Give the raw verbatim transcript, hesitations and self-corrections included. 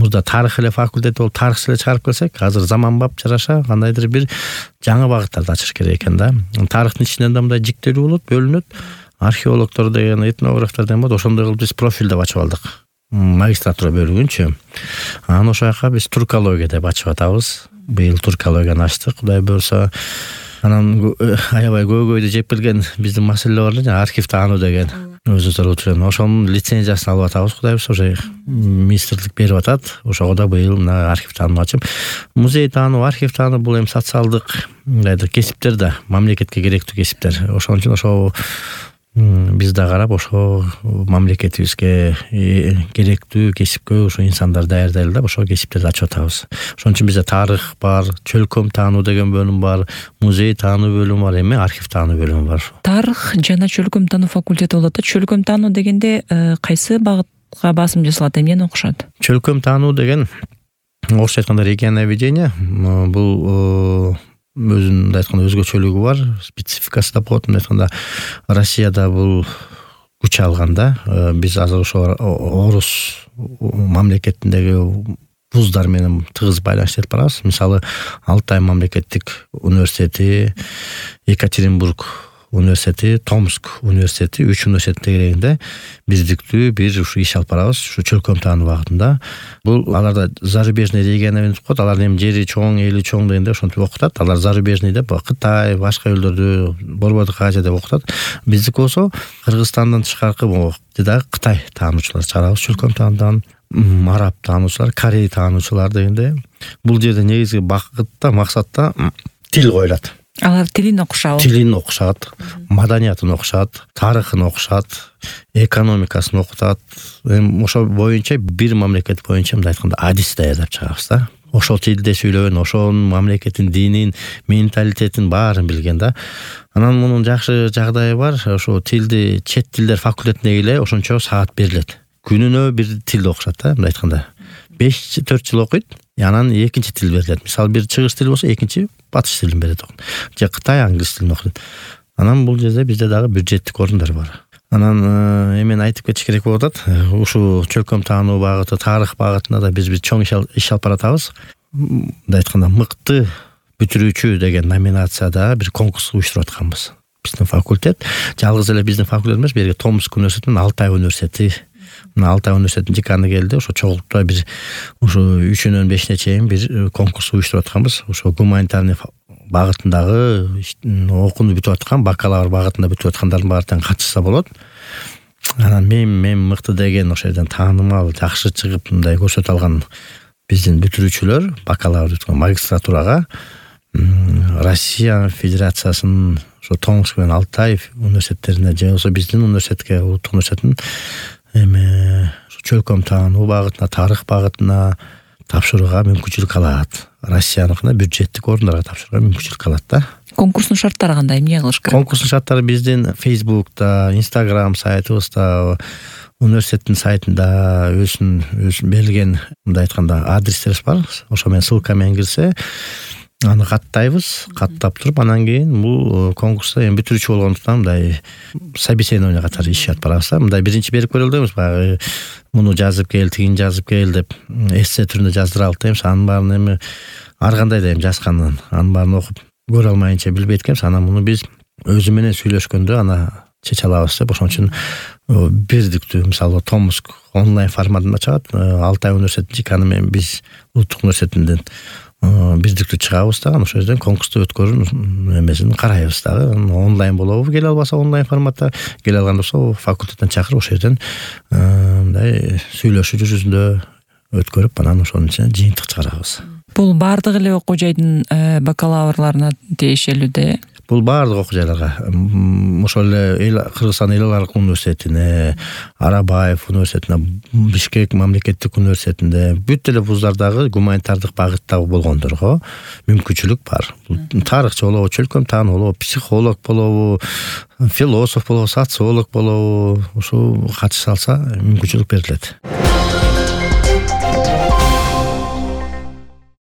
мурда тарых эле факультети болуп тарыхчы эле чыгарып келсек, азыр заманбап жараша кандайдыр бир жаңы багыттарды ачыш керек экен да. Тарыхтын ичинен да мындай жиктелүү болот, бөлүнөт. Археологдор деген, этнографтар деген болот. Ошондой кылып биз профиль деп ачып алдык. Магистратура бөлүгүнчү. Анан ошол жака биз туркология деп ачып атабыз. Быйыл туркологияны ачтык, Кудай буюрса. Анан аябай көйгөйдү жеп келген биздин маселе бар эле, архив таануу деген. Өзүңүздөр утурган. Ошонун лицензиясын алып атабыз, Кудай буюрса, уже министрлик берип атат. Ошого да быйыл мына архив таануу ачып, музей таануу, архив таануу бул эми социалдык мындайдыр кесиптер да, мамлекетке керектүү кесиптер. Ошон үчүн ошо биз да карап ошо мамлекетибизге керектүү кесипкө ошо инсандар даярдайлы да, ошо кесиптерди ачып атабыз. Ошон үчүн бизде тарых бар, чөлкөм таануу деген бөлүм бар, музей таануу бөлүмү бар, эми архив таануу бөлүмү бар. Тарых жана чөлкөм таануу факультети болот да. Чөлкөм таануу дегенде кайсы багытка басым жасалат, эмнени окушат? Чөлкөм таануу деген орусча айтканда регионоведение, бул өзүнүн мындай айтканда өзгөчөлүгү бар, спецификасы да болот. Мындай айтканда Россияда бул күч алган да. Биз азыр ошо орус мамлекетиндеги вуздар менен тыгыз байланыш этип барабыз. Мисалы, Алтай мамлекеттик университети, Екатеринбург университети, Томск университети, үч университеттин тегерегинде биздиктүү бир ушу иш алып барабыз, ушу чөлкөм таануу багытында. Бул аларда зарубежный регионоведение деп коет. Алардын эми жери чоң, эли чоң дегенде ошентип окутат. Алар зарубежный деп Кытай, башка элдердү, Борбордук Азия деп окутат. Биздики болсо Кыргызстандан тышкаркы дагы Кытай таануучулар чыгарабыз, чөлкөм таануудан, араб таануучулар, корей таануучулар дегенде. Бул жерде негизги багытта, максатта тил коюлат. Алар тилин окушабы? Тилин окушат, маданиятын окушат, тарыхын окушат, экономикасын окутат. Эми ошол боюнча бир мамлекет боюнча мындай айтканда адис даярдап чыгабыз да. Ошол тилде сүйлөгөн, ошол мамлекеттин динин, менталитетин баарын билген да. Анан мунун жакшы жагдайы бар, ошо тилди чет тилдер факультетине эле ошончо саат берилет. Күнүнө бир тилди окушат да, мындай айтканда. беш төрт жыл окуйт, анан экинчи тил берилет. Мисалы, бир чыгыш тил болсо, экинчи батыш тилин берет. Же Кытай англис тилин окуйт. Анан бул жерде бизде дагы бюджеттик орундар бар. Анан эмен айтып кетиш керек болуп атат. Ушу чөлкөм таануу багыты, тарых багытында да биз бир чоң иш алып баратабыз. Мындай айтканда, мыкты бүтүрүүчү деген номинацияда бир конкурс уюштуруп атканбыз. Биздин факультет, жалгыз эле биздин факультет эмес, берге Томск университети, Алтай университети, Алтай университетинин деканы келди. Ошо чогултуп бир ушу үчүнөн бешине чейин бир конкурс уюштуруп атканбыз. Ошо гуманитарный багытындагы окууну бүтүп аткан, бакалавр багытында бүтүп аткандардын баары катышса болот. Анан мен мен мыкты деген ошол жерден таанымал, жакшы чыгып мындай көрсөтө алган биздин бүтүрүүчүлөр бакалавр бүткөн магистратурага Россия Федерациясынын ошо Томск менен Алтай университеттерине же болбосо биздин университетке, улуттук университеттин эми чөлкөм таануу багытына, тарых багытына тапшырууга мүмкүнчүлүк алат. Россияныкына бюджеттик орундарга тапшырууга мүмкүнчүлүк алат да. Конкурстун шарттары кандай, эмне кылыш керек? Конкурстун шарттары биздин Facebook'та, Instagram сайтыбызда, университеттин сайтында өзүн өзүн берилген мындай айтканда адрестерибиз бар. Ошо менен ссылка менен кирсе, аны каттайбыз, каттап туруп, анан кийин бул конкурста эми бүтүрүүчү болгондуктан мындай собеседование катары иш алып барабыз. Мындай биринчи берип көрөлү дейбиз, баягы муну жазып кел, тигин жазып кел деп эссе түрүндө жаздыралык дейбиз. Анын баарын эми ар кандай да эми жазганын, анын баарын окуп көрө алмайынча билбейт экенбиз. Анан муну биз өзү менен сүйлөшкөндө ана чече алабыз деп, ошон үчүн бирдиктүү, мисалы Томск онлайн форматында чыгат, Алтай университетинин деканы менен биз улуттук университетинден бирдиктүү чыгабыз дагы, ошол жерден конкурсту өткөрүүнүн эмесин карайбыз дагы. Онлайн болобу, келе албаса онлайн форматта, келе алган болсо факультеттен чакырып ошол жерден мындай сүйлөшүү жүзүндө өткөрүп, анан ошонун ичинен жыйынтык чыгарабыз. Бул баардык эле окуу жайдын бакалаврларына тиешелүү да? Бул баардык окуу жайларга, ошол эле Кыргызстан эл аралык университетине, Арабаев университетине, Бишкек мамлекеттик университетинде, бүт эле вуздардагы гуманитардык багыттагы болгондорго мүмкүнчүлүк бар. Тарыхчы болобу, чөлкөм таануу болобу, психолог болобу, философ болобу, социолог болобу, ошо катыша алса мүмкүнчүлүк берилет.